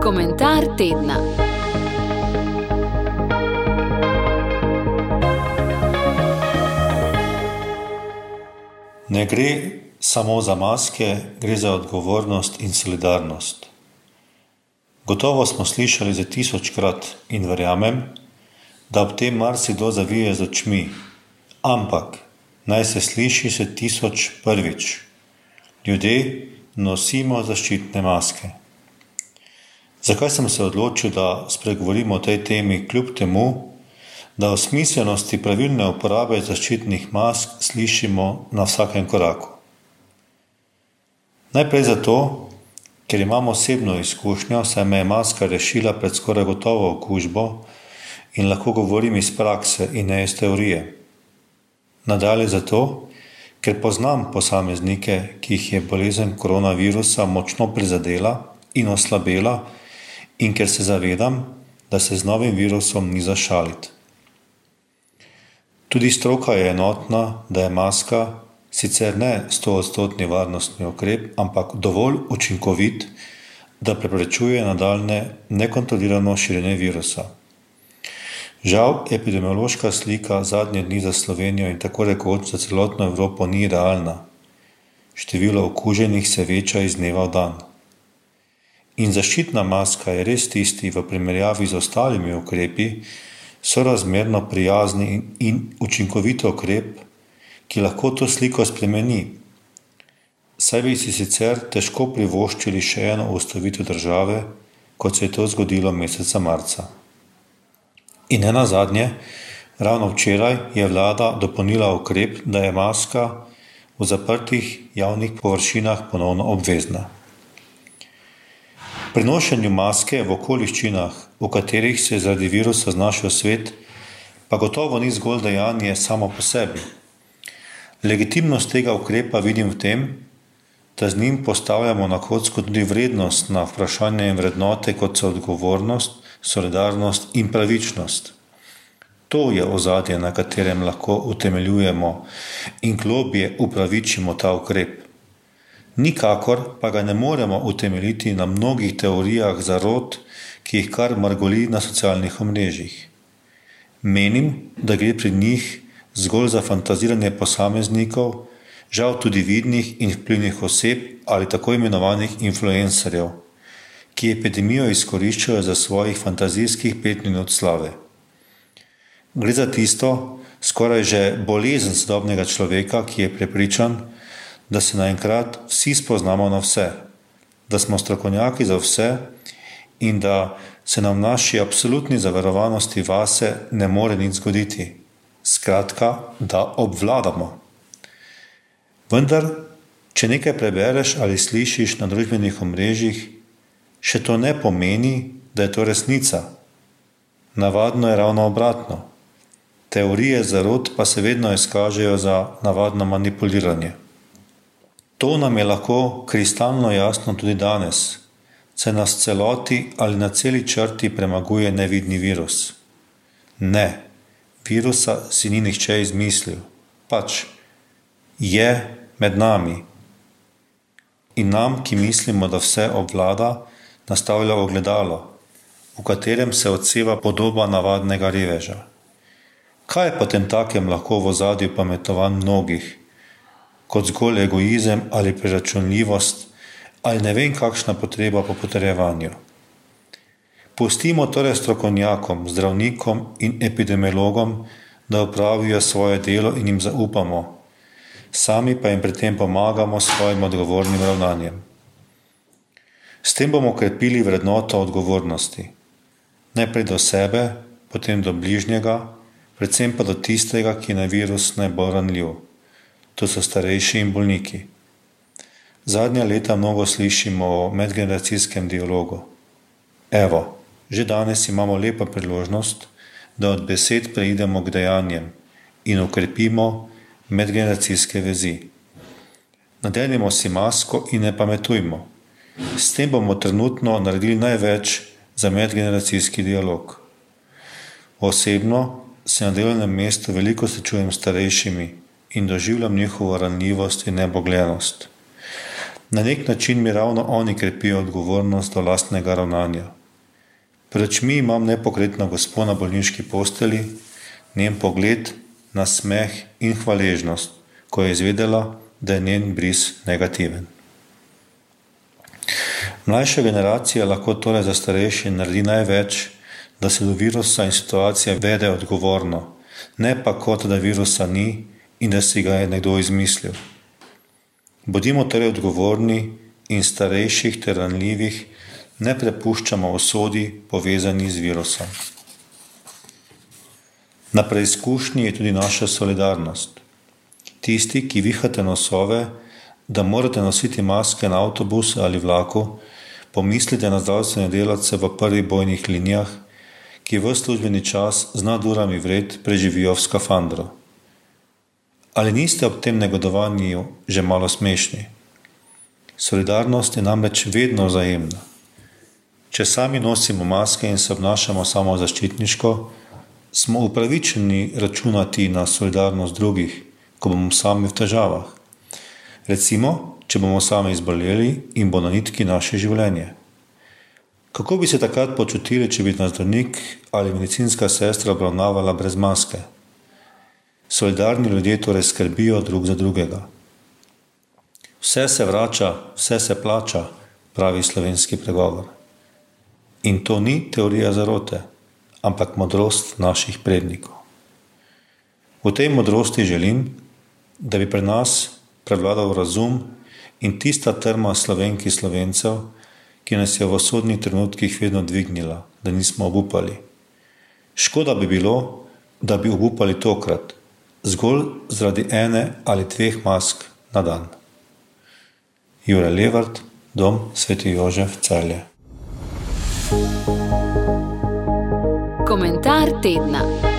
Komentar tedna. Ne gre samo za maske, gre za odgovornost in solidarnost. Gotovo smo slišali za 1000-krat in verjamem, da ob tem marsikdo zavije z očmi, ampak naj se sliši se 1001. Ljudje nosimo zaščitne maske. Zakaj sem se odločil, da spregovorim o tej temi, kljub temu, da o smiselnosti pravilne uporabe zaščitnih mask slišimo na vsakem koraku? Najprej zato, ker imam osebno izkušnjo, saj me je maska rešila pred skoraj gotovo okužbo in lahko govorim iz prakse in ne iz teorije. Nadalje zato, ker poznam posameznike, ki jih je bolezen koronavirusa močno prizadela in oslabela, in ker se zavedam, da se z novim virusom ni za šaliti. Tudi stroka je enotna, da je maska sicer ne 100% varnostni ukrep, ampak dovolj učinkovit, da preprečuje nadaljnje nekontrolirano širjenje virusa. Žal, epidemiološka slika zadnje dni za Slovenijo in tako rekoč za celotno Evropo ni realna. Število okuženih se veča iz dneva v dan. In zaščitna maska je res tisti v primerjavi z ostalimi ukrepi sorazmerno prijazni in učinkovit ukrep, ki lahko to sliko spremeni. Saj bi si sicer težko privoščili še eno ustavitev države, kot se je to zgodilo meseca marca. In nenazadnje, ravno včeraj je vlada dopolnila ukrep, da je maska v zaprtih javnih površinah ponovno obvezna. Pri nošenju maske v okoliščinah, v katerih se je zaradi virusa znašel svet, pa gotovo ni zgolj dejanje samo po sebi. Legitimnost tega ukrepa vidim v tem, da z njim postavljamo na kocko tudi vrednost na vprašanje in vrednote, kot so odgovornost, solidarnost in pravičnost. To je ozadje, na katerem lahko utemeljujemo in globje upravičimo ta ukrep. Nikakor pa ga ne moremo utemeljiti na mnogih teorijah zarot, ki jih kar mrgoli na socialnih omrežjih. Menim, da gre pri njih zgolj za fantaziranje posameznikov, žal tudi vidnih in vplivnih oseb ali tako imenovanih influencerjev, ki epidemijo izkoriščajo za svojih fantazijskih 5 minut slave. Gre za tisto, skoraj že bolezen sodobnega človeka, ki je prepričan, da se naenkrat vsi spoznamo na vse, da smo strokovnjaki za vse in da se nam naši absolutni zaverovanosti vase ne more nič zgoditi. Skratka, da obvladamo. Vendar, če nekaj prebereš ali slišiš na družbenih omrežjih, še to ne pomeni, da je to resnica. Navadno je ravno obratno. Teorije zarot pa se vedno izkažejo za navadno manipuliranje. To nam je lahko kristalno jasno tudi danes, saj nas celoti ali na celi črti premaguje nevidni virus. Ne, virusa si ni nihče izmislil, pač je med nami. In nam, ki mislimo, da vse obvlada, nastavlja ogledalo, v katerem se odseva podoba navadnega reveža. Kaj je potem takem lahko v ozadju pametovanj mnogih, kot zgolj egoizem ali preračunljivost ali ne vem kakšna potreba po potrjevanju? Pustimo torej strokovnjakom, zdravnikom in epidemiologom, da opravijo svoje delo in jim zaupamo, sami pa jim pri tem pomagamo s svojim odgovornim ravnanjem. S tem bomo krepili vrednoto odgovornosti. Najprej do sebe, potem do bližnjega, predvsem pa do tistega, ki je na virus najbolj ranljiv. To so starejši in bolniki. Zadnja leta mnogo slišimo o medgeneracijskem dialogu. Evo, že danes imamo lepo priložnost, da od besed preidemo k dejanjem in okrepimo medgeneracijske vezi. Nadenimo si masko in ne pametujmo. S tem bomo trenutno naredili največ za medgeneracijski dialog. Osebno se na delovnem mestu veliko srečujem s starejšimi in doživljam njihovo ranljivost in nebogljenost. Na nek način mi ravno oni krepijo odgovornost do lastnega ravnanja. Pred očmi imam nepokretno gospo na bolniški posteli, njen pogled, nasmeh in hvaležnost, ko je izvedela, da je njen bris negativen. Mlajša generacija lahko torej za starejše naredi največ, da se do virusa in situacije vede odgovorno, ne pa kot da virusa ni in da si ga je nekdo izmislil. Bodimo torej odgovorni in starejših ter ranljivih ne prepuščamo usodi povezani z virusom. Na preizkušnji je tudi naša solidarnost. Tisti, ki vihate nosove, da morate nositi maske na avtobusu ali vlaku, pomislite na zdravstvene delavce v prvih bojnih linijah, ki v službeni čas z nadurami vred preživijo v skafandru. Ali niste ob tem negodovanju že malo smešni? Solidarnost je namreč vedno vzajemna. Če sami nosimo maske in se obnašamo samozaščitniško, smo upravičeni računati na solidarnost drugih, ko bomo sami v težavah. Recimo, če bomo sami izboleli in bo na nitki naše življenje. Kako bi se takrat počutili, če bi nas zdravnik ali medicinska sestra obravnavala brez maske? Solidarni ljudje torej skrbijo drug za drugega. Vse se vrača, vse se plača, pravi slovenski pregovor. In to ni teorija zarote, ampak modrost naših prednikov. V tej modrosti želim, da bi pri nas prevladal razum in tista trma Slovenki Slovencev, ki nas je v usodnih trenutkih vedno dvignila, da nismo obupali. Škoda bi bilo, da bi obupali tokrat, zgolj zaradi ene ali dveh mask na dan. Jure Levart, Dom Sveti Jožef, Celje. Komentar tedna.